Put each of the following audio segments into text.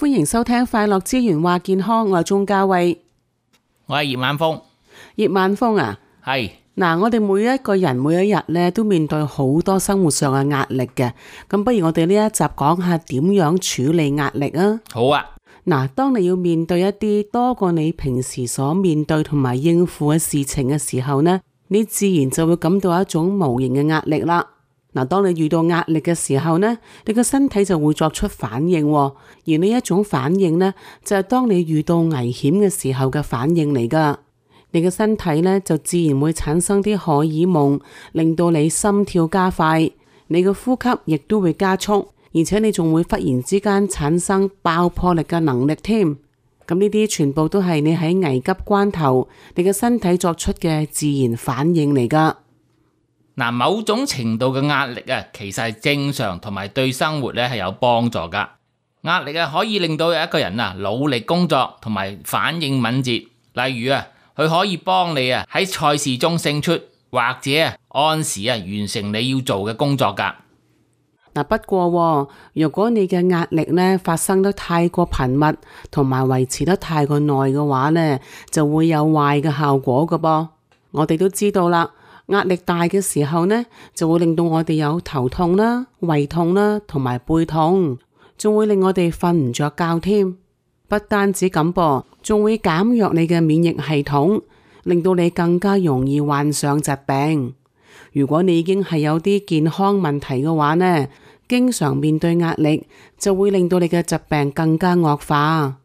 歡迎收聽快樂之源話健康，我係鍾嘉慧，我係葉晚風。葉晚風啊，係嗱，我哋每一個人每一日咧都面對好多生活上嘅壓力嘅，咁不如我哋呢一集講下點樣處理壓力啊？好啊，嗱，當你要面對一啲多過你平時所面對同埋應付嘅事情嘅時候呢，你自然就會感到一種無形嘅壓力啦。嗱，當你遇到壓力嘅時候呢，你個身體就會作出反應，而呢一種反應呢，就係當你遇到危險嘅時候嘅反應嚟噶。你嘅身體呢，就自然會產生啲荷爾蒙，令到你心跳加快，你嘅呼吸亦都會加速，而且你仲會忽然之間產生爆破力嘅能力添。咁呢啲全部都係你喺危急關頭，你嘅身體作出嘅自然反應嚟噶。嗱，某種程度嘅壓力啊，其實係正常同埋對生活咧係有幫助噶。壓力啊，可以令到有一個人啊努力工作同埋反應敏捷。例如啊，佢可以幫你啊喺賽事中勝出，或者啊按時啊完成你要做嘅工作噶。嗱，不過如果你嘅壓力呢發生得太過頻密，同埋維持得太過耐嘅話呢，就會有壞嘅效果噶噃。我哋都知道啦。壓力大嘅時候呢，就會令到我哋有頭痛啦、胃痛啦，同埋背痛，仲會令我哋瞓唔着覺添。不單止咁噃，仲會減弱你嘅免疫系統，令到你更加容易患上疾病。如果你已經係有啲健康問題嘅話呢，經常面對壓力，就會令到你嘅疾病更加惡化。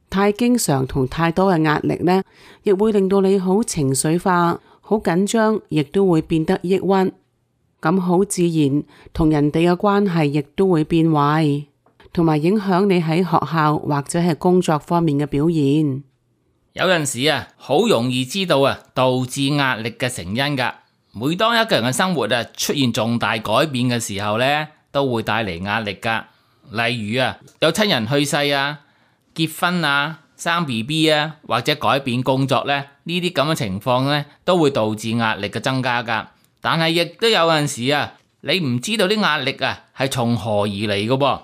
太經常同太多嘅壓力呢，亦會令到你好情緒化。好緊張，亦都會變得抑鬱，咁好自然，同人哋嘅關係亦都會變壞，同埋影響你喺學校或者係工作方面嘅表現。有陣時啊，好容易知道啊導致壓力嘅成因噶。每當一個人嘅生活啊出現重大改變嘅時候呢，都會帶嚟壓力噶。例如啊，有親人去世啊、結婚啊、生 BB 啊，或者改變工作呢，呢啲咁嘅情況呢，都會導致壓力嘅增加噶。但係亦都有陣時啊，你唔知道啲壓力啊係從何而嚟嘅噃。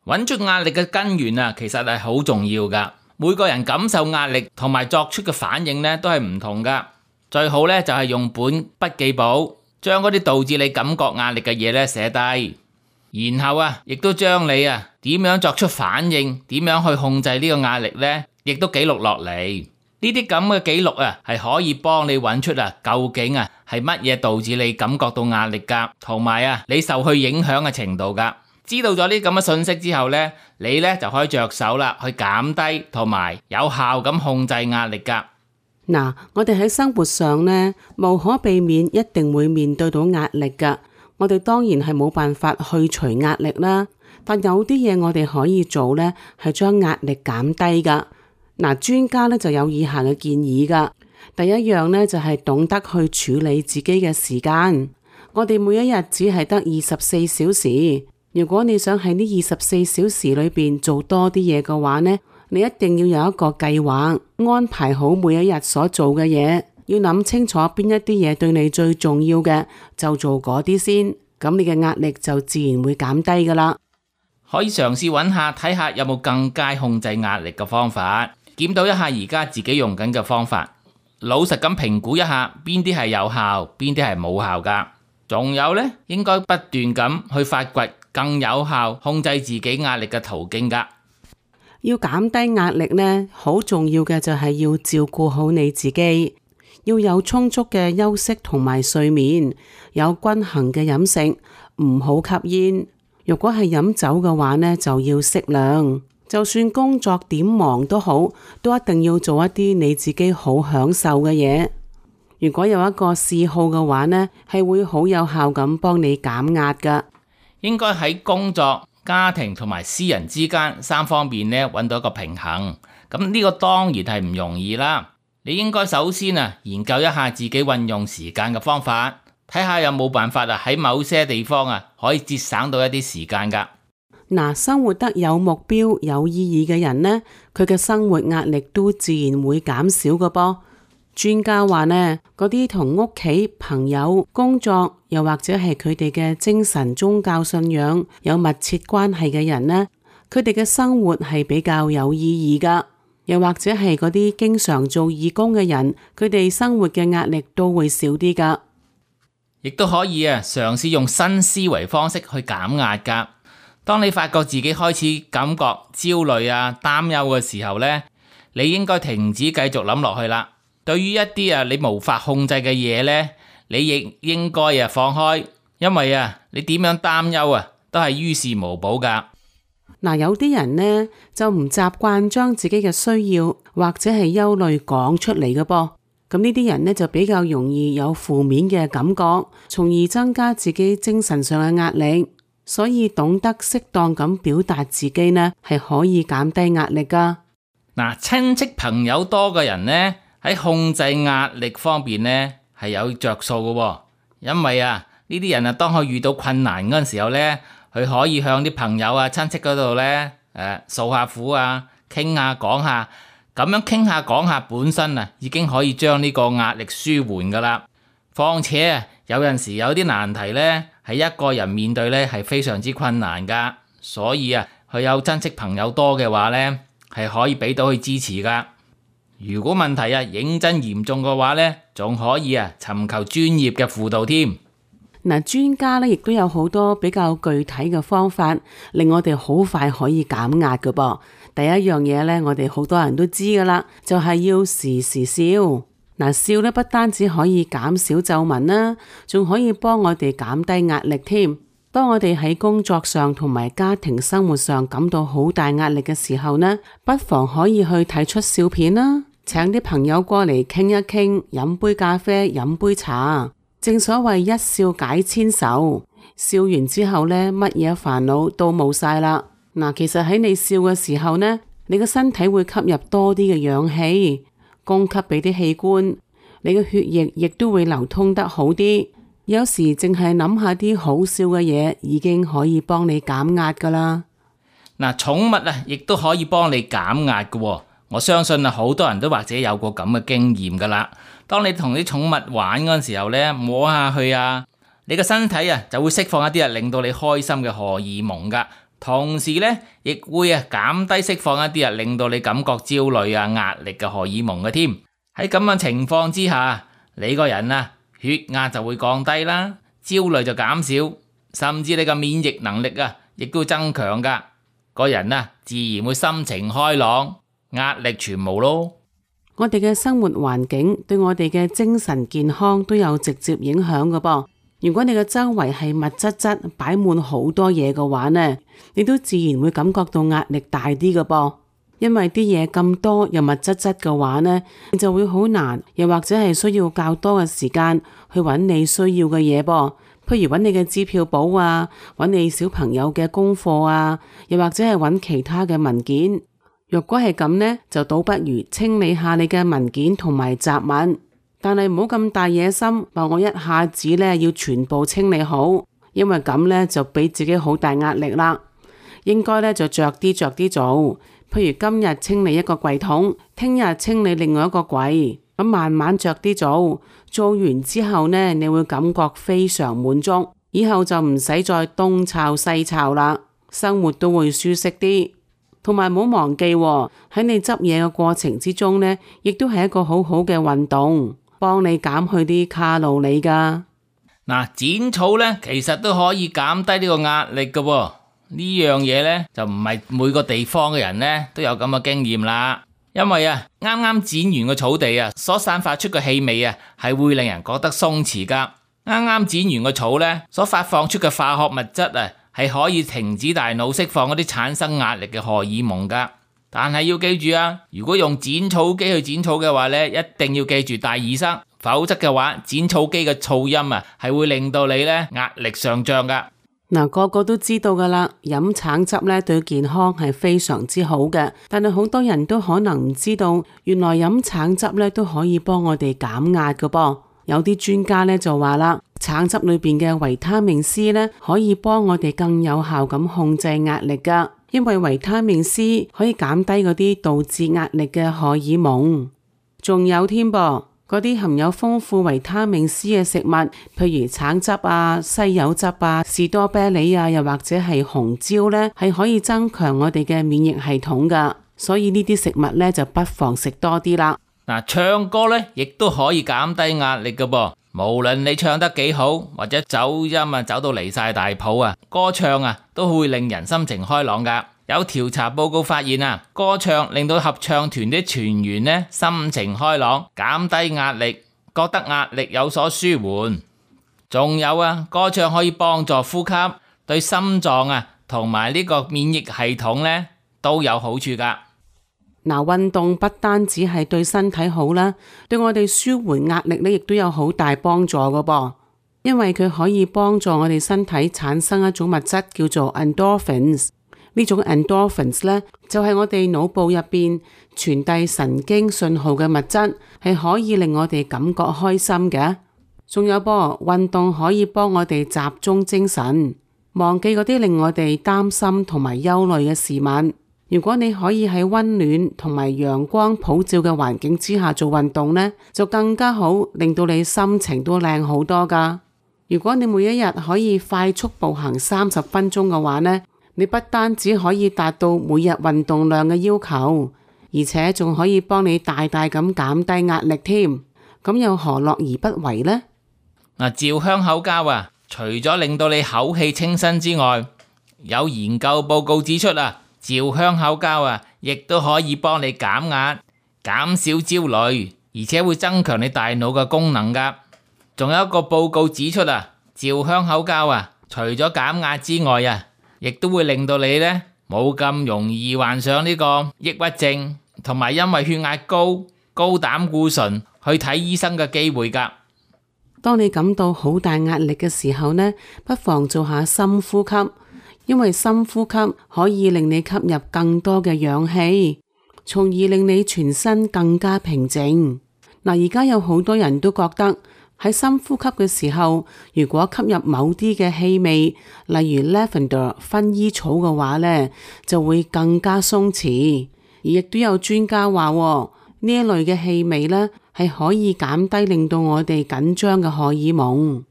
揾出壓力嘅根源啊，其實係好重要噶。每個人感受壓力同埋作出嘅反應呢，都係唔同噶。最好呢，就係用本筆記簿，將嗰啲導致你感覺壓力嘅嘢呢寫低。然後啊，亦都將你啊點樣作出反應，點樣去控制呢個壓力呢，亦都記錄落嚟。呢啲咁嘅記錄啊，係可以幫你揾出啊究竟啊係乜嘢導致你感覺到壓力噶，同埋啊你受去影響嘅程度噶。知道咗呢咁嘅信息之後呢，你呢就可以着手啦，去減低同埋有效咁控制壓力噶。嗱，我哋喺生活上呢，無可避免一定會面對到壓力噶。我哋當然係冇辦法去除壓力啦，但有啲嘢我哋可以做呢，係將壓力減低噶。嗱，專家呢就有以下嘅建議噶。第一樣呢，就係懂得去處理自己嘅時間。我哋每一日只係得24小時，如果你想喺呢24小時裏邊做多啲嘢嘅話呢，你一定要有一個計劃，安排好每一日所做嘅嘢。要諗清楚邊一啲嘢對你最重要嘅，就做嗰啲先，咁你嘅壓力就自然會減低噶啦。可以嘗試揾下睇下有冇更加控制壓力嘅方法，檢討一下而家自己用緊嘅方法，老實咁評估一下邊啲係有效，邊啲係冇效噶。仲有呢，應該不斷咁去發掘更有效控制自己壓力嘅途徑噶。要減低壓力呢，好重要嘅就係要照顧好你自己。要有充足嘅休息同埋睡眠，有均衡嘅飲食，唔好吸煙。如果係飲酒嘅話呢，就要適量。就算工作點忙都好，都一定要做一啲你自己好享受嘅嘢。如果有一個嗜好嘅話呢，係會好有效咁幫你減壓噶。應該喺工作、家庭同埋私人之間3方面呢，揾到一個平衡。咁呢個當然係唔容易啦。你應該首先啊研究一下自己運用時間嘅方法，睇下有冇辦法啊喺某些地方啊可以節省到一啲時間噶。嗱，生活得有目標、有意義嘅人呢，佢嘅生活壓力都自然會減少噶噃。專家話呢，嗰啲同屋企、朋友、工作，又或者係佢哋嘅精神宗教信仰有密切關係嘅人呢，佢哋嘅生活係比較有意義噶。又或者係嗰啲經常做義工嘅人，佢哋生活嘅壓力都會少啲噶。亦都可以嘗試用新思維方式去減壓噶。當你發覺自己開始感覺焦慮擔憂嘅時候呢，你應該停止繼續諗落去啦。對於一啲你無法控制嘅嘢呢，你亦應該放開，因為你點樣擔憂都係於事無補噶。嗱，有啲人呢就唔習慣將自己嘅需要或者係憂慮講出嚟嘅噃，咁呢啲人呢就比較容易有負面嘅感覺，從而增加自己精神上嘅壓力。所以懂得適當咁表達自己呢，係可以減低壓力噶。嗱，親戚朋友多嘅人呢，喺控制壓力方面呢係有着數嘅，因為呢啲人當佢遇到困難嗰陣時候呢，佢可以向啲朋友親戚嗰度呢訴下苦傾下講下，咁樣傾下講下本身已經可以將呢個壓力舒緩噶啦。況且有陣時有啲難題呢，係一個人面對呢係非常之困難噶，所以佢有親戚朋友多嘅話呢，係可以俾到佢支持噶。如果問題認真嚴重嘅話呢，仲可以尋求專業嘅輔導添。嗱，專家呢亦都有好多比較具體嘅方法，令我哋好快可以減壓㗎噃。第一樣嘢呢，我哋好多人都知噶啦，就係要時時笑。嗱，笑呢不單止可以減少皺紋啦，仲可以幫我哋減低壓力添。當我哋喺工作上同埋家庭生活上感到好大壓力嘅時候呢，不妨可以去睇出笑片啦，請啲朋友過嚟傾一傾，飲杯咖啡，飲杯茶。正所謂一笑解千愁，笑完之後呢，乜嘢煩惱都冇晒啦。嗱，其實喺你笑嘅時候呢，你個身體會吸入多啲嘅氧氣，供給俾啲器官，你嘅血液亦都會流通得好啲。有時淨係諗下啲好笑嘅嘢，已經可以幫你減壓噶啦。嗱，寵物亦都可以幫你減壓噶。我相信好多人都或者有過咁嘅經驗噶啦。當你同啲寵物玩嗰陣時候呢，摸下去你個身體就會釋放一啲令到你開心嘅荷爾蒙噶，同時呢亦會減低釋放一啲令到你感覺焦慮壓力嘅荷爾蒙嘅添。喺咁樣情況之下，你個人血壓就會降低啦，焦慮就減少，甚至你嘅免疫能力亦都會增強噶，個人自然會心情開朗，壓力全無咯。我哋嘅生活環境對我哋嘅精神健康都有直接影響㗎噃。如果你嘅周圍係密質質擺滿好多嘢嘅話呢，你都自然會感覺到壓力大啲㗎噃。因為啲嘢咁多又密質質嘅話呢，你就會好難，又或者係需要較多嘅時間去揾你需要嘅嘢噃。譬如揾你嘅支票簿揾你小朋友嘅功課又或者係揾其他嘅文件。若果係咁呢，就倒不如清理下你嘅文件同埋雜物，但係唔好咁大野心，話我一下子呢要全部清理好，因為咁呢就俾自己好大壓力啦。應該呢就着啲做，譬如今日清理一個櫃桶，聽日清理另外一個櫃，咁慢慢着啲做完之後呢，你會感覺非常滿足，以後就唔使再東抄西抄啦，生活都會舒適啲。同埋唔好忘記喺你執嘢嘅過程之中呢，亦都係一個好好嘅運動，幫你減去啲卡路里噶。嗱，剪草呢，其實都可以減低呢個壓力噶。呢樣嘢呢，就唔係每個地方嘅人呢都有咁嘅經驗啦。因為啱啱剪完個草地所散發出嘅氣味係會令人覺得鬆弛噶。啱啱剪完個草呢，所發放出嘅化學物質係可以停止大腦釋放嗰啲產生壓力嘅荷爾蒙噶，但係要記住如果用剪草機去剪草嘅話呢，一定要記住戴耳塞，否則嘅話剪草機嘅噪音係會令到你呢壓力上漲噶。嗱，個個都知道噶啦，飲橙汁呢對健康係非常之好嘅，但係好多人都可能唔知道，原來飲橙汁呢都可以幫我哋減壓噶噃。有啲專家呢就話啦，橙汁裏邊嘅維他命 C 呢，可以幫我哋更有效咁控制壓力噶，因為維他命 C 可以減低嗰啲導致壓力嘅荷爾蒙。仲有添噃，嗰啲含有豐富維他命 C 嘅食物，譬如橙汁啊、西柚汁啊、士多啤梨啊，又或者係紅椒呢，係可以增強我哋嘅免疫系統噶。所以呢啲食物呢，就不妨食多啲啦。嗱，唱歌呢亦都可以減低壓力噶噃。無論你唱得幾好，或者走音啊走到離晒大譜啊，歌唱啊都會令人心情開朗噶。有調查報告發現啊，歌唱令到合唱團啲團員呢心情開朗，減低壓力，覺得壓力有所舒緩。仲有啊，歌唱可以幫助呼吸，對心臟啊同埋呢個免疫系統呢都有好處噶。嗱，運動不單止係對身體好啦，對我哋舒緩壓力呢亦都有好大幫助噶噃。因為佢可以幫助我哋身體產生一種物質叫做 endorphins。呢種 endorphins 呢，就係我哋腦部入邊傳遞神經信號嘅物質，係可以令我哋感覺開心嘅。仲有噃，運動可以幫我哋集中精神，忘記嗰啲令我哋擔心同埋憂慮嘅事物。如果你可以喺溫暖同埋陽光普照嘅環境之下做運動呢，就更加好，令到你心情都靚好多噶。如果你每一日可以快速步行30分鐘嘅話呢，你不單止可以達到每日運動量嘅要求，而且仲可以幫你大大咁減低壓力添。咁又何樂而不為呢？嗱，嚼香口膠啊，除咗令到你口氣清新之外，有研究報告指出啊，嚼香口膠啊，亦都可以幫你減壓、減少焦慮，而且會增強你大腦嘅功能噶。仲有一個報告指出啊，嚼香口膠啊，除咗減壓之外啊，亦都會令到你呢冇咁容易患上呢個抑鬱症，同埋因為血壓高、高膽固醇去睇醫生嘅機會噶。當你感到好大壓力嘅時候呢，不妨做下深呼吸，因為深呼吸可以令你吸入更多嘅氧氣，從而令你全身更加平靜。嗱，而家有好多人都覺得喺深呼吸嘅時候，如果吸入某啲嘅氣味，例如 lavender 薰衣草嘅話呢，就會更加鬆弛。而亦都有專家話，呢一類嘅氣味呢，係可以減低令到我哋緊張嘅荷爾蒙。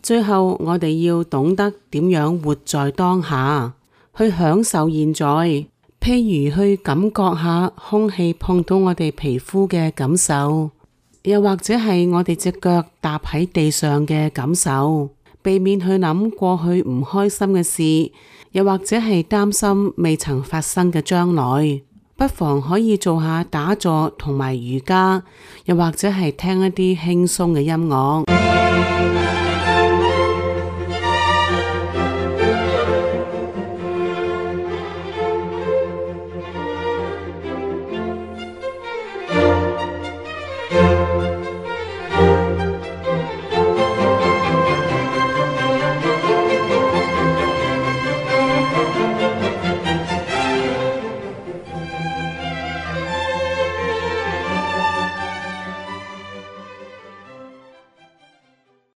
最後，我哋要懂得點樣活在當下，去享受現在。譬如去感覺下空氣碰到我哋皮膚嘅感受，又或者係我哋隻腳踏喺地上嘅感受，避免去諗過去唔開心嘅事，又或者係擔心未曾發生嘅將來。不妨可以做下打坐同埋瑜伽，又或者係聽一啲輕鬆嘅音樂。